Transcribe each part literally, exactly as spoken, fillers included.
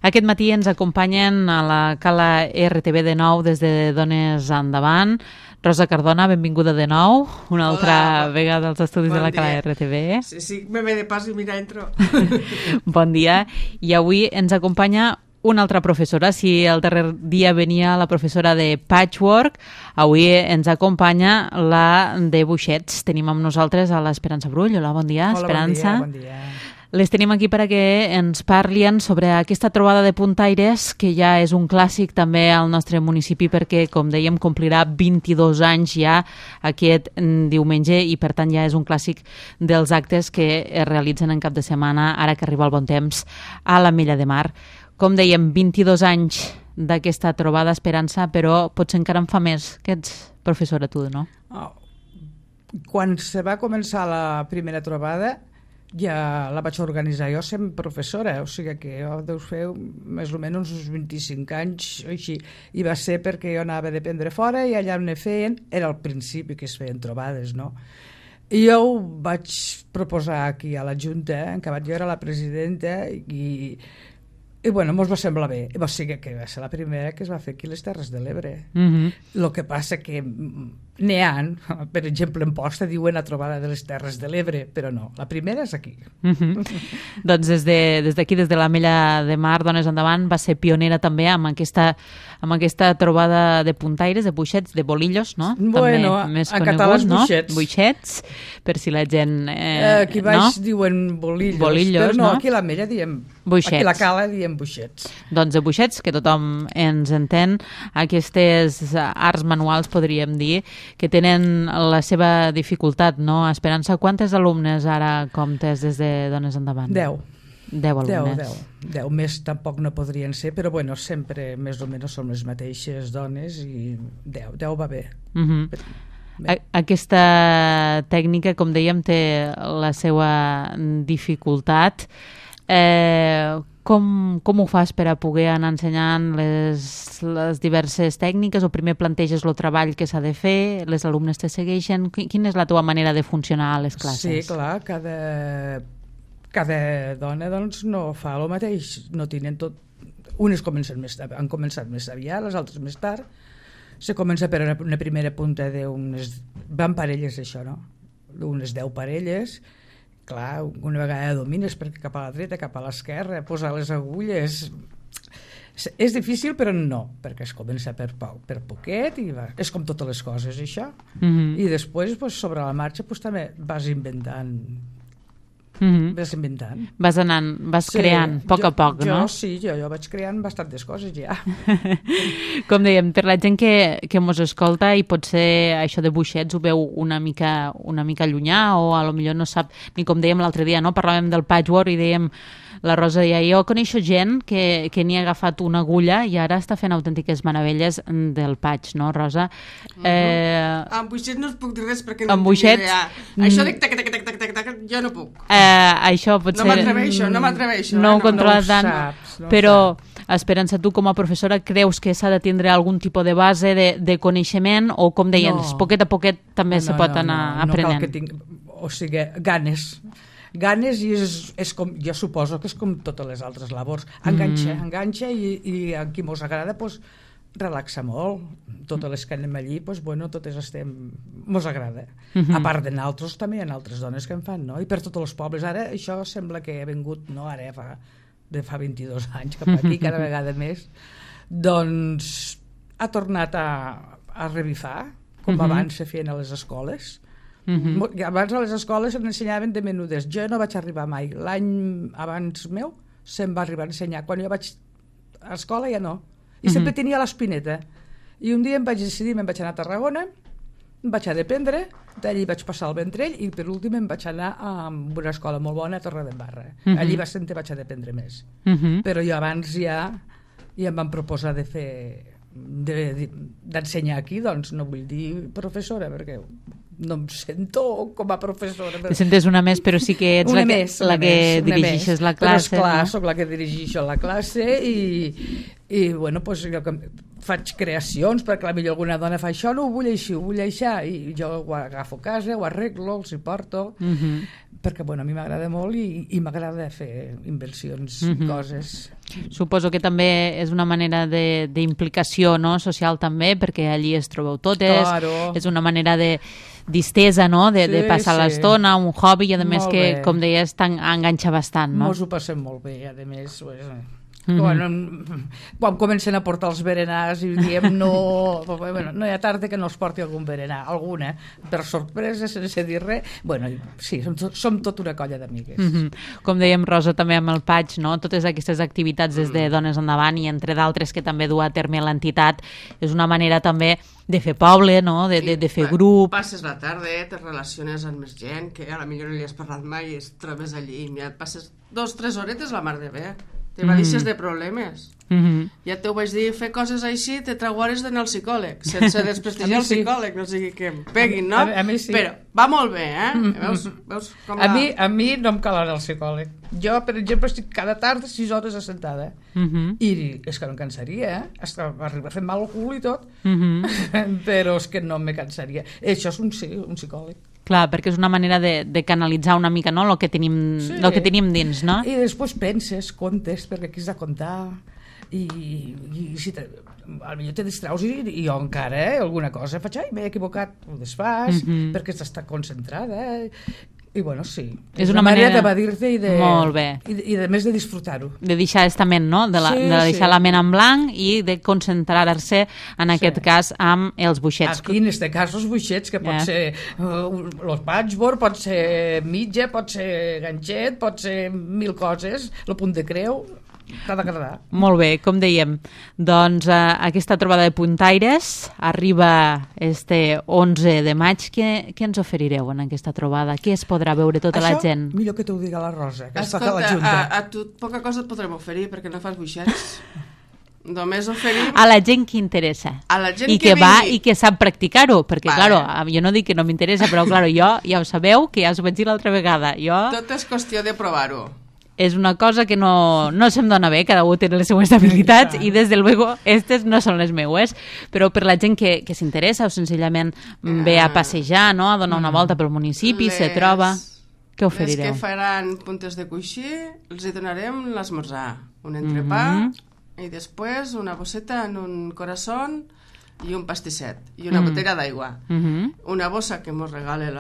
Aquest matí ens acompanyen a la Cala R T V de nou des de Dones Endavant. Rosa Cardona, benvinguda de nou, una altra Hola, vegada als estudis bon de la Cala dia. R T V. Sí, sí, me ve de pas i mira, entro. Bon dia. I avui ens acompanya una altra professora. Si el darrer dia venia la professora de Patchwork, avui ens acompanya la de Buixets. Tenim amb nosaltres a l'Esperança Brull. Hola, bon dia, Hola, Esperança. bon dia, bon dia. Les tenim aquí perquè ens parlin sobre aquesta trobada de puntaires, que ja és un clàssic també al nostre municipi perquè, com dèiem, complirà vint-i-dos anys ja aquest diumenge i, per tant, ja és un clàssic dels actes que es realitzen en cap de setmana, ara que arriba el bon temps, a l'Ametlla de Mar. Com dèiem, vint-i-dos anys d'aquesta trobada, Esperança, però potser encara en fa més, que ets professora tu, no? Oh. Quan se va començar la primera trobada, ja la vaig organitzar jo sent professora, o sigui que jo deu fer més o menys uns vint-i-cinc anys així, i va ser perquè jo anava a dependre fora i allà on ne feien, era al principi que es feien trobades, no? I jo ho vaig proposar aquí a la Junta, en acabat jo era la presidenta, i i bueno, mos va semblar bé. O sigui que va ser la primera que es va fer aquí a les Terres de l'Ebre. Mhm. El que passa que n'hi ha, per exemple, en Posta diuen la trobada de les Terres de l'Ebre, però no, la primera és aquí. Mm-hmm. Doncs des d'aquí, de, des, des de l'Ametlla de Mar, Dones Endavant, va ser pionera també amb aquesta, amb aquesta trobada de puntaires, de buixets, de bolillos, no? Bueno, també més en català és no? buixets. Buixets, per si la gent... Eh, aquí baix no? diuen bolillos, bolillos, però no, no? aquí a l'Ametlla diem buixets. Aquí a la Cala diem buixets. Doncs de buixets, que tothom ens entén, aquestes arts manuals, podríem dir, que tenen la seva dificultat, no? Esperança, quantes alumnes ara comptes des de Dones Endavant? Deu. Deu alumnes. Deu, deu. Deu més tampoc no podrien ser, però bueno, sempre més o menys som les mateixes dones i deu, deu va bé. Mhm. A aquesta tècnica, com dèiem, té la seva dificultat. Eh, com, com ho fas per a poder anar ensenyant les, les diverses tècniques, o primer planteges el treball que s'ha de fer, les alumnes te segueixen? Quina és la teva manera de funcionar a les classes? Sí, clar, cada, cada dona doncs, no fa el mateix, no tenen tot. Unes comencen més, han començat més aviat, les altres més tard. Se comença per una, una primera punta d'unes... Van parelles, això, no? Unes deu parelles. Clar, una vegada domines perquè cap a la dreta, cap a l'esquerra, posar les agulles... És difícil, però no, perquè es comença per, per poquet i va. És com totes les coses, això. Mm-hmm. I després, pues, sobre la marxa, pues, també vas inventant... Mm-hmm. Vas inventant. Vas anant, vas sí, creant, a poc jo, a poc, jo, no? Sí, jo, jo vaig creant bastantes coses, ja. Com dèiem, per la gent que, que mos escolta i potser això de buixets ho veu una mica, una mica llunyà, o a lo millor no sap, ni com dèiem l'altre dia, no? Parlàvem del patchwork i dèiem, la Rosa deia, jo coneixo gent que, que n'hi ha agafat una agulla i ara està fent autèntiques meravelles del patch, no, Rosa? Uh-huh. eh... Amb buixets no us puc dir res perquè no amb tinc buixets... idea. Això de tac, tac, tac, tac, tac, tac, jo no puc. Eh, això potser... No m'atreveixo, no m'atreveixo. No eh? ho controla no ho tant, saps, no però saps. Esperança, tu com a professora creus que s'ha de tindre algun tipus de base de, de coneixement, o com deien, no. poquet a poquet també no, se pot no, anar no, aprenent? No cal que tinc, o sigui, ganes. Ganes, i és, és com, jo suposo que és com totes les altres labors. Enganxa, mm. enganxa, i, i a qui mos agrada, pues, relaxa molt. Totes les que anem allí, pues, bueno, totes estem... Mos agrada. Mm-hmm. A part de nosaltres, també hi ha altres dones que en fan, no? I per tots els pobles. Ara això sembla que ha vingut, no? Ara fa, de fa vint-i-dos anys cap aquí, cada vegada més. Doncs ha tornat a, a revifar, com mm-hmm. abans se feien a les escoles. Mm-hmm. Abans a les escoles ensenyaven de menudes. Jo no vaig arribar mai. L'any abans meu se'm va arribar a ensenyar. Quan jo vaig a l'escola ja no. I mm-hmm. sempre tenia l'espineta. I un dia em vaig decidir, me'n vaig anar a Tarragona, em vaig a dependre, d'allí vaig passar al Ventrell, i per últim em vaig anar a una escola molt bona a Torredembarra. Mm-hmm. Allí va ser on vaig a dependre més. Mm-hmm. Però jo abans ja, ja em van proposar de fer d'ensenyar aquí, doncs no vull dir professora, perquè no em sento com a professora. Te sentes una més, però sí que ets una la que, més, la que més, dirigeixes més. la classe. Però esclar, no? Soc la que dirigeixo la classe, i, i bueno, pues, jo faig creacions, perquè potser alguna dona fa això, no ho vull així, ho vull això, i jo ho agafo a casa, ho arreglo, els hi porto, uh-huh. perquè bueno, a mi m'agrada molt i, i m'agrada fer inversions i uh-huh. coses. Suposo que també és una manera d'implicació, no? Social també, perquè allí es trobeu totes, claro. És una manera de distesa, no? De, sí, de passar sí. l'estona, un hobby, i a més molt que, bé. Com deies, enganxa bastant, no? Mos ho passem molt bé, a més, pues, mm-hmm. quan, quan comencen a portar els berenars i diem no, bueno, no hi ha tarda que no es porti algun berenar, alguna, per sorpresa, sense dir res. Bueno, sí, som, som tot una colla d'amigues. Mm-hmm. Com dèiem, Rosa, també amb el Patx, no? Totes aquestes activitats des de Dones Endavant i entre d'altres que també du a terme l'entitat, és una manera també de fer poble, no? de, de, de fer grup. Passes la tarda, te relaciones amb més gent, que a la millor no li has parlat mai i es trobes allí, i ja passes dos, tres horetes la mar de bé. Te vadixes mm. de problemes. Mm-hmm. Ja t'ho vaig dir, fer coses així te trau hores d'anar al psicòleg, sense desprestigiar el psicòleg, no sigui que em peguin, no? A, a mi sí. Però va molt bé, eh? Mm-hmm. Veus, veus com a, la... mi, a mi no em cal anar al psicòleg. Jo, per exemple, estic cada tarda sis hores assentada. Mm-hmm. I és que no em cansaria, eh? Hasta arriba a fer mal al cul i tot. Mm-hmm. Però és que no me cansaria. Això és un, un psicòleg. Clar, perquè és una manera de, de canalitzar una mica, no?, el que tenim, sí. el que tenim dins, no? I després penses, comptes, perquè aquí has de comptar, i, i si te, potser te distraus i, i jo encara, eh, alguna cosa faig, ai, m'he equivocat, ho desfas, mm-hmm. perquè estàs concentrada, eh? I bueno, sí, és, és una, una manera, manera d'evadir-te i de, molt bé. I, i de més de disfrutar-ho. De deixar estament, no? De, la, sí, de deixar sí. la ment en blanc i de concentrar-se, en sí. aquest cas, amb els buixets. Aquí, en aquest cas, els buixets, que pot yeah. ser uh, los patchwork, pot ser mitja, pot ser ganxet, pot ser mil coses, el punt de creu... t'ha d'agradar. Molt bé, com dèiem, doncs eh, aquesta trobada de puntaires arriba este onze de maig. Què, què ens oferireu en aquesta trobada? Què es podrà veure tota Això, la gent? Això millor que t'ho diga la Rosa, que Escolta, està a la Junta. A, a tu poca cosa et podrem oferir perquè no fas buixets. Només oferim... A la gent que interessa. A la gent I que, que va vingui. i que sap practicar-ho, perquè, vale. claro, jo no dic que no m'interessa, però, claro, jo ja ho sabeu, que ja us ho vaig dir l'altra vegada. Jo... Tot és qüestió de provar-ho. És una cosa que no, no se'm dona bé, cada un té les seues habilitats i des de luego aquestes no són les meues, però per la gent que, que s'interessa o senzillament ve a passejar, no? A donar una volta pel municipi, les, se troba... Què oferireu? Les que faran puntes de coixí els hi donarem l'esmorzar, un entrepà mm-hmm. i després una bosseta en un corazón i un pastisset i una mm. botella d'aigua. Mm-hmm. Una bossa que ens regala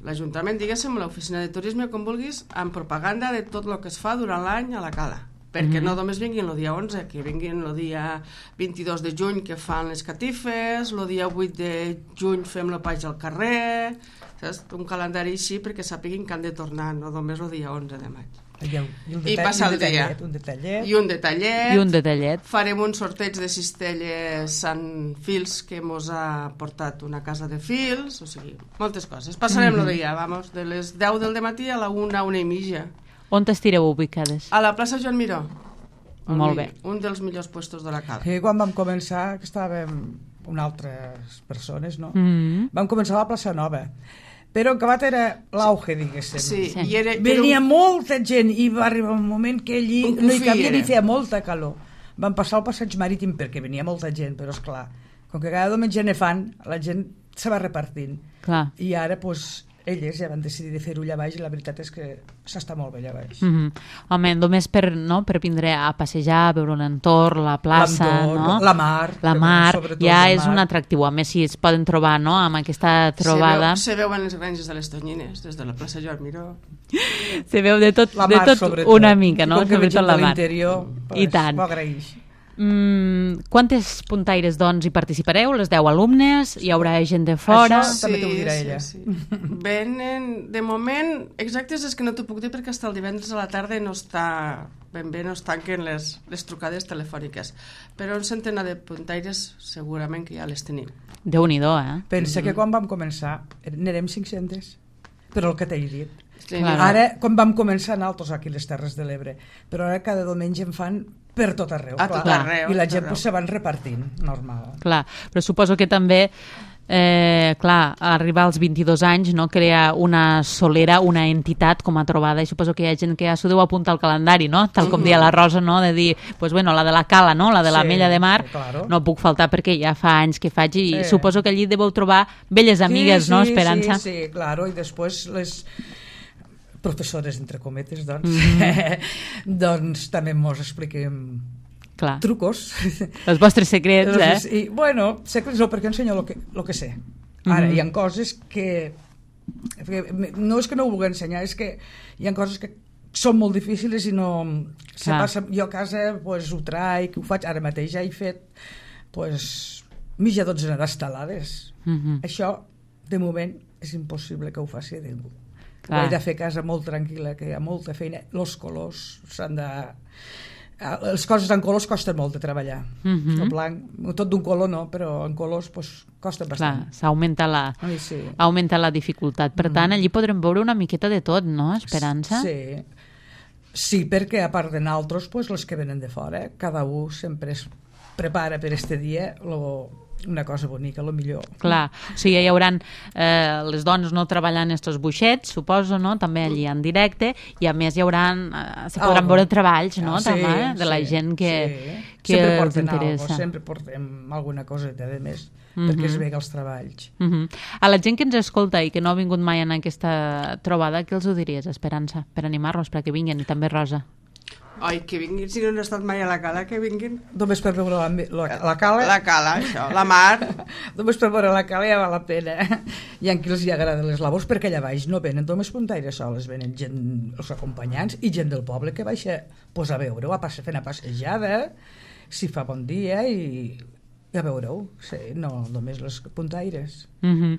l'Ajuntament, la, diguéssim, l'oficina de turisme, com vulguis, amb propaganda de tot el que es fa durant l'any a la cala. Perquè mm-hmm. no només vinguin el dia onze, que vinguin el dia vint-i-dos de juny que fan les catifes, el dia vuit de juny fem la paix al carrer, saps? Un calendari així perquè sàpiguin que han de tornar, no només el dia onze de maig. I, un detall, I passa el dia. Un detallet. I un detallet. I un detallet. Farem un sorteig de cistelles en fils que mos ha portat una casa de fils, o sigui, moltes coses. Passarem mm-hmm. el dia, vamos, de les deu del matí a la una, una i mitja. On t'estireu ubicades? A la plaça Joan Miró. Molt bé. Un dels millors puestos de la cala. Sí, quan vam començar, que estàvem amb altres persones, no? Mm-hmm. Vam començar a la plaça Nova. Però en acabat era l'auge, diguéssim. Sí, sí. I era, venia era un... molta gent i va arribar un moment que allí no hi cabia ni feia molta calor. Vam passar al passeig marítim perquè venia molta gent, però és clar, com que cada diumenge ne fan, la gent se va repartint. Clar. I ara, doncs, elles ja van decidir de fer-ho allà baix i la veritat és que s'està molt bé allà baix. Mm-hmm. Home, només per, no, per vindre a passejar, a veure l'entorn, la plaça, no? La mar. La mar, ja és un atractiu. A més, si es poden trobar, no?, amb aquesta trobada. Se, veu, se veuen les granges de les Tonyines, des de la plaça Joan Miró. Se veu de tot, mar, de tot una mica, no? I com que sobretot la mar. I tant. M'ho agraeix. Mm, quantes puntaires, doncs, hi participareu? Les deu alumnes? Hi haurà gent de fora? Això sí, també t'ho dirà ella. Sí, sí. Venen, de moment, exactes és que no t'ho puc dir perquè fins el divendres a la tarda no està ben bé, no es tanquen les, les trucades telefòniques. Però un centenar de puntaires segurament que ja les tenim. Déu-n'hi-do, eh? Pensa mm-hmm. que quan vam començar n'érem cinc-centes, però el que t'he dit. Sí, claro. Ara, quan vam començar nosaltres aquí a les Terres de l'Ebre, però ara cada diumenge en fan per tot arreu. A tot arreu. I la gent pues, se van repartint, normal. Clar, però suposo que també eh, clar, arribar als vint-i-dos anys, no, crear una solera, una entitat com a trobada, i suposo que hi ha gent que ja s'ho deu apuntar al calendari, no? Tal com deia la Rosa, no? De dir, pues bueno, la de la Cala, no? La de la Sí, Mella de Mar, sí, claro. no puc faltar perquè ja fa anys que faig i Sí. suposo que allí deveu trobar velles amigues, sí, no, sí, Esperança? Sí, sí, claro, i després les professores, entre cometes, doncs, Mhm. doncs també mos expliquem Clar, trucos. els vostres secrets, eh? I, bueno, secrets no, perquè ensenyo el que, lo que sé. Ara, Mhm. hi ha coses que, que... No és que no ho vulgui ensenyar, és que hi ha coses que són molt difícils i no... Se Clar. passa, jo a casa pues, ho traic, ho faig, ara mateix ja he fet pues, mitja dotzena d'estelades. Mhm. Això, de moment, és impossible que ho faci ningú. Clar. Ho he de fer a casa molt tranquil·la, que hi ha molta feina. Els colors s'han de... Les coses en colors costen molt de treballar. Mhm. El blanc, tot d'un color no, però en colors pues, costa Clar, bastant. s'augmenta la, Ai, sí. augmenta la dificultat. Per tant, allí podrem veure una miqueta de tot, no, Esperança? Sí. Sí, perquè a part de nosaltres, pues, els que venen de fora, cada un sempre es prepara per este dia lo, una cosa bonica, lo millor. Clar, o sigui, hi haurà eh, les dones no treballant estos buixets, suposo, no? També allí en directe, i a més hi haurà, eh, se podran Algo. veure treballs, no? Ah, sí, també, de la sí, gent que, sí. que sempre els porten interessa. Algo, sempre portem alguna coseta de més, Mhm. perquè es vega els treballs. Uh -huh. A la gent que ens escolta i que no ha vingut mai en aquesta trobada, què els ho diries, Esperança, per animar-los perquè vinguin, i també Rosa? Ai, que vinguin, si no han estat mai a la Cala, que vinguin. Només per veure la, la, la cala, La Cala, això, la mar. només per veure la cala ja val la pena. Hi ha qui els hi agraden les labors, perquè allà baix no venen només puntaires soles, venen gent, els acompanyants i gent del poble que baixa pues, a veure-ho, a passe, fer una passejada, si fa bon dia, i, i a veure-ho, sí, no només les puntaires. Uh -huh.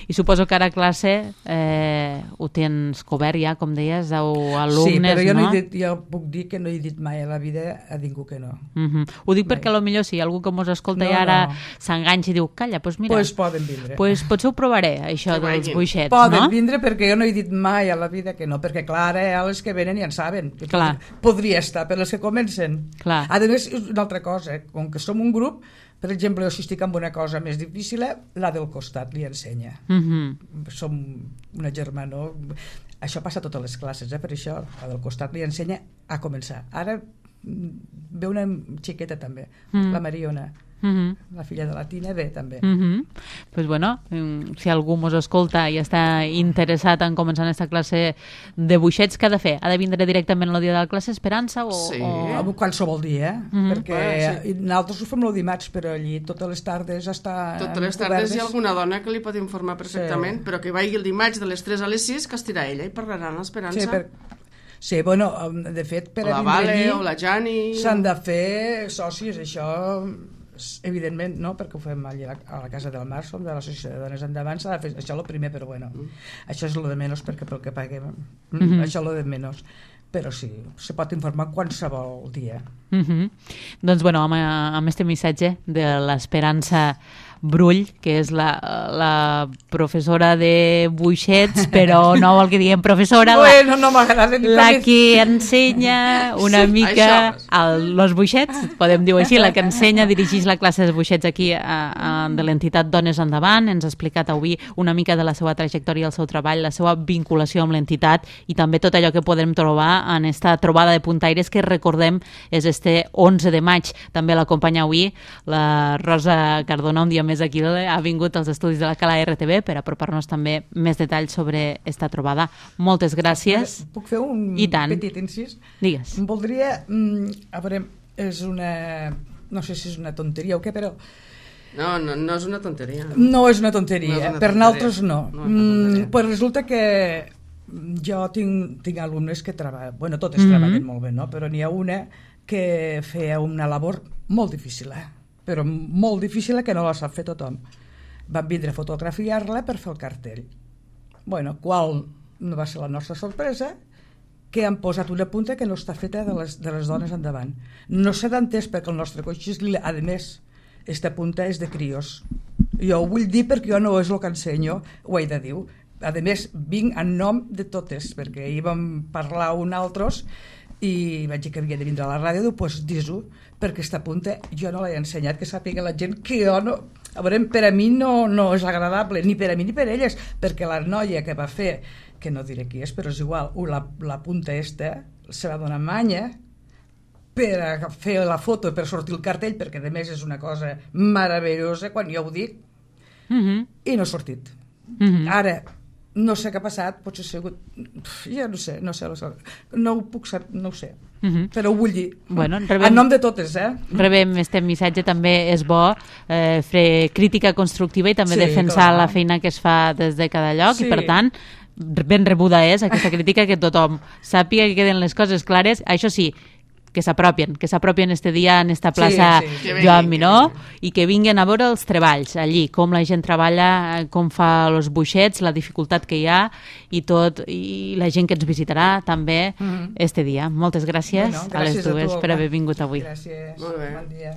I suposo que ara a classe eh, ho tens cobert ja, com deies, o alumnes, sí, però jo, no? no he dit, jo puc dir que no he dit mai a la vida a ningú que no. Uh -huh. Ho dic Mai. perquè potser si hi ha algú que mos escolta No, i ara no. s'enganxa i diu, calla, doncs mira, Pues poden vindre. pues potser ho provaré, això Que dels vagin. buixets, Poden no? vindre perquè jo no he dit mai a la vida que no, perquè clar, eh, els que venen ja en saben que Clar. podria estar, per els que comencen. Clar. A més, és una altra cosa, eh, com que som un grup, per exemple, jo si estic amb una cosa més difícil, la del costat li ensenya. Uh -huh. Som una germana, això passa a totes les classes, eh, per això, la del costat li ensenya a començar. Ara mm, ve una xiqueta també, Mm. la Mariona, Uh -huh. la filla de la Tina, ve també. Uh -huh. Pues bueno, mm, si algú mos escolta i està interessat en començar aquesta classe de buixets, què ha de fer? Ha de vindre directament el dia de la classe, Esperança? O, Sí. o... O qualsevol dia, eh? Mhm. perquè Bueno, sí. nosaltres ho fem el dimarts, però allí totes les tardes està Totes les tardes hi ha alguna dona que li pot informar perfectament, Sí. però que vagi el dimarts de les tres a les sis, que estirà ella i parlarà amb l'Esperança. Sí, per... sí, bueno, de fet, per O la a vindre Vale, allí o la Jani... s'han de fer socis, això evidentment, no? Perquè ho fem allà a la, a la Casa del Mar, som de l'Associació de Dones Endavant, s'ha de fer això és el primer, però bueno, mm. això és lo de menys, perquè pel que paguem, mm Mhm. això és lo de menys. Però sí, se pot informar qualsevol dia. Uh -huh. Doncs bueno, amb, amb este missatge de l'Esperança Brull, que és la, la professora de buixets, però no vol que diguem professora, Bueno, no m'agrada ni la, la com- que ensenya una Sí, mica això. el, los buixets, podem dir-ho així, la que ensenya, dirigeix la classe de buixets aquí a, a, de l'entitat Dones Endavant. Ens ha explicat avui una mica de la seva trajectòria, el seu treball, la seva vinculació amb l'entitat i també tot allò que podem trobar en esta trobada de puntaires que, recordem, és este onze de maig. També l'acompanya avui la Rosa Cardona, un dia més aquí, ha vingut als estudis de la Cala R T V per apropar-nos també més detalls sobre esta trobada. Moltes gràcies. Puc fer un I tant. petit incís? Digues. Voldria, mm, a veure, és una, no sé si és una tonteria o què, però No, no, no és una tonteria. no és una tonteria, No és una per tonteria. nosaltres no. No és una tonteria. Mm, pues resulta que jo tinc, tinc alumnes que treballen, bueno, totes Mhm. treballen molt bé, no? Però n'hi ha una que feia una labor molt difícil, eh? però molt difícil que no la sap fer tothom. Van vindre a fotografiar-la per fer el cartell. Bueno, qual no va ser la nostra sorpresa, que han posat una punta que no està feta de les, de les dones endavant. No s'ha d'entès perquè el nostre coix és lila. A més, esta punta és de crios. Jo ho vull dir perquè jo no és el que ensenyo, ho he de dir. A més, vinc en nom de totes, perquè ahir vam parlar un altres i vaig dir que havia de vindre a la ràdio, diu, pues dis-ho, perquè aquesta punta jo no l'he ensenyat, que sàpiga la gent que jo no... A veure, per a mi no, no és agradable, ni per a mi ni per elles, perquè la noia que va fer, que no diré qui és, però és igual, la, la punta esta, se va donar manya per a fer la foto, per sortir el cartell, perquè a més és una cosa meravellosa, quan jo ho dic, mm-hmm. i no ha sortit. Mm-hmm. Ara, no sé què ha passat, potser ha sigut... Ja no sé, no sé, no ho puc saber, no ho sé. Mm-hmm. Però ho vull dir. Bueno, rebem, en nom de totes, eh? Rebem este missatge, també és bo eh, fer crítica constructiva i també sí, defensar clar. La feina que es fa des de cada lloc sí. I per tant ben rebuda és aquesta crítica, que tothom sàpiga que queden les coses clares, això sí, que s'apropien, que s'apropien este dia en esta plaça sí, sí, sí. Joan Miró i que vinguen a veure els treballs allí, com la gent treballa, com fa els buixets, la dificultat que hi ha i tot, i la gent que ens visitarà també mm-hmm. este dia. Moltes gràcies, bueno, gràcies a les dues a tu, per haver vingut avui. Gràcies, bon dia.